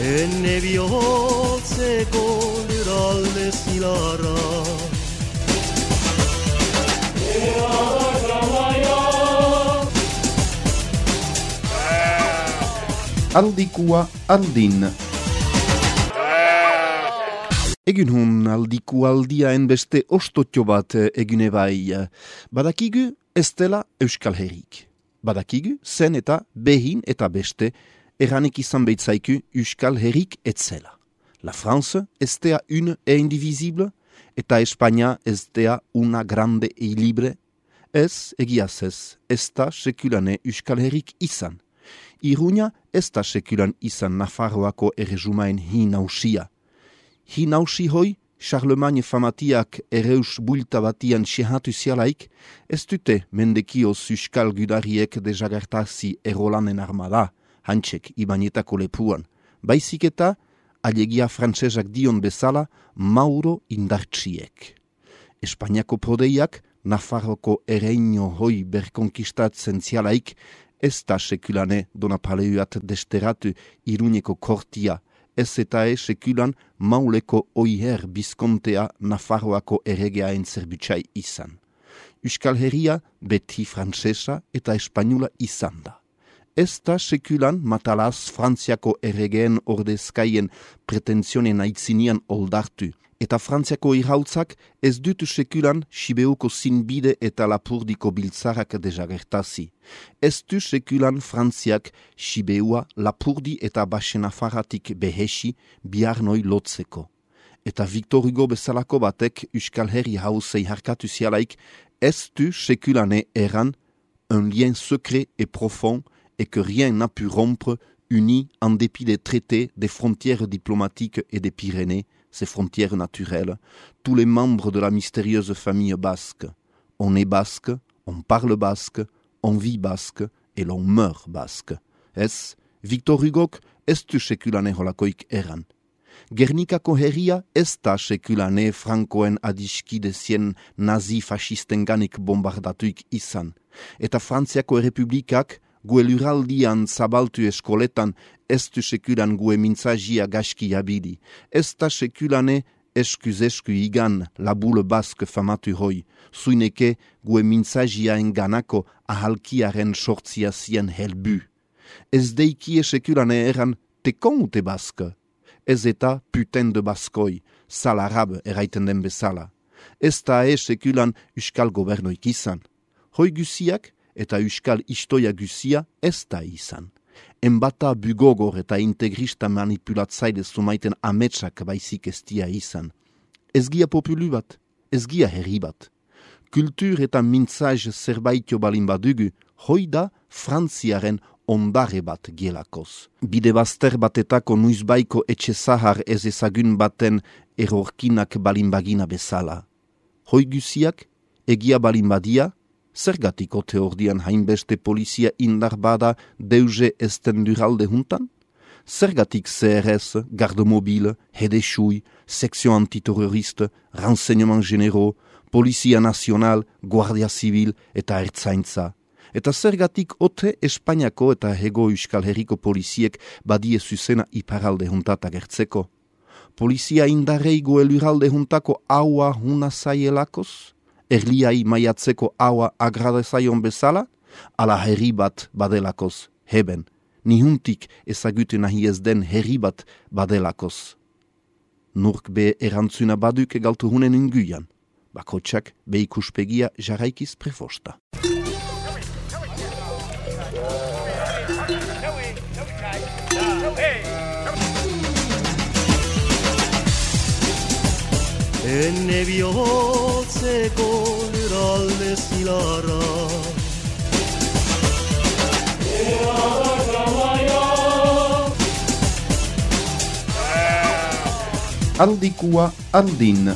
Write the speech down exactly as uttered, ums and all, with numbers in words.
Enne bihotzeko lurralde zilarra Aldikua aldin. Egun hun aldiku aldiaen beste ostotio bat egune bai. Badakigu ez dela Euskal Herrik. Badakigu zen eta behin eta beste erranek izan behitzaiku Euskal Herrik etzela. La France ez dea une e indivisible eta Espanya ez dea una grande e libre. Ez egiaz ez, ez da sekulane Euskal Herrik izan. Iruña ez da sekulan izan Nafarroako erresumaen hi nausia. Hi nausi hoi, Charlemagne famatiak ereus bulta batian sehatu zialaik, ez dute mendekioz Euskal gudariek dejagertazi erolanen armada, hantsek ibanetako lepuan. Baizik eta, alegia frantsesak dion bezala, Mauro indartsiek. Espainiako prodeiak, Nafarroko ereino hoi berkonkistatzen zialaik, ez da sekulane Donapaleuat desteratu Iruñeko kortia, ez eta e sekulan Mauleko oiher bizkontea Nafarroako erregeaen zerbutsai izan. Euskal Herria beti frantsesa eta espainula izan da. Ez da sekulan matalaz Frantziako erregeen ordezkaien pretenzionen aitzinian oldartu, eta Frantziako irautzak ez dutu sekulan Sibeuko zinbide eta Lapurdiko biltzarak dejagertazi. Ez du sekulan Frantziak Sibeua, Lapurdi eta Basenafaratik behesi biarnoi lotzeko. Eta Victor Hugo bezalako batek Euskal Herri hausei harkatu zialaik, ez du sekulane eran un lien secret et profond et que rien n'a pu rompre uni en dépit des traités, des frontières diplomatiques et des Pyrénées, ces frontières naturelles, tous les membres de la mystérieuse famille basque. On est basque, on parle basque, on vit basque et l'on meurt basque. Ez, Victor Hugok ez du sekulane holakoik eran. Gernikako herria ez da sekulane Frankoen adiskidezien nazi-fascistenganik bombardatuik izan. Eta Frantziako errepublikak gue luraldian zabaltu eskoletan ez du sekulan gue mintzagia gaski abidi. Ez da sekulane eskuz-esku igan la boule basque famatu hoi, zuineke gue mintzagia enganako ahalkiaren sortzia zien helbu. Ez deikie sekulane eran tekon ute baske. Ez eta putain de baskoi, sal arabe eraiten den bezala. Ez da e sekulan Euskal gobernoik izan. Hoi guziak eta Euskal istoia guzia ez da izan. Enbata bugogor eta integrista manipulatzaile zumaiten ametsak baizik ez dia izan. Ez gia populu bat, ez gia herri bat. Kultur eta mintzaj zerbaitio balin badugu, hoi da Frantziaren ondare bat gielakoz. Bide bazter batetako nuizbaiko etxe zahar ez ezagun baten erorkinak balin bagina bezala. Hoi guziak, egia balin badia, zergatik ote ordian hainbeste polizia indar bada deuze esten duralde juntan? Zergatik C R S, garde mobile, hedesui, section antiterroriste, renseignement généraux, polizia nacional, guardia civil eta ertzaintza. Eta zergatik ote Espainiako eta hego Euskal Herriko poliziek badie zuzena iparalde juntat agertzeko? Polizia indarrei goeluralde juntako haua huna zaielakoz? Erliai maiatzeko haua agradezaion bezala? Ala herri bat badelakoz, heben, nihuntik ezagute nahi ez den herri bat badelakoz. Nurk be erantzuna baduk galtu hunen inguian, bakotxak be ikuspegia jarraikiz prefosta. Enne bihotzeko lurralde zilarra Aldikua aldin.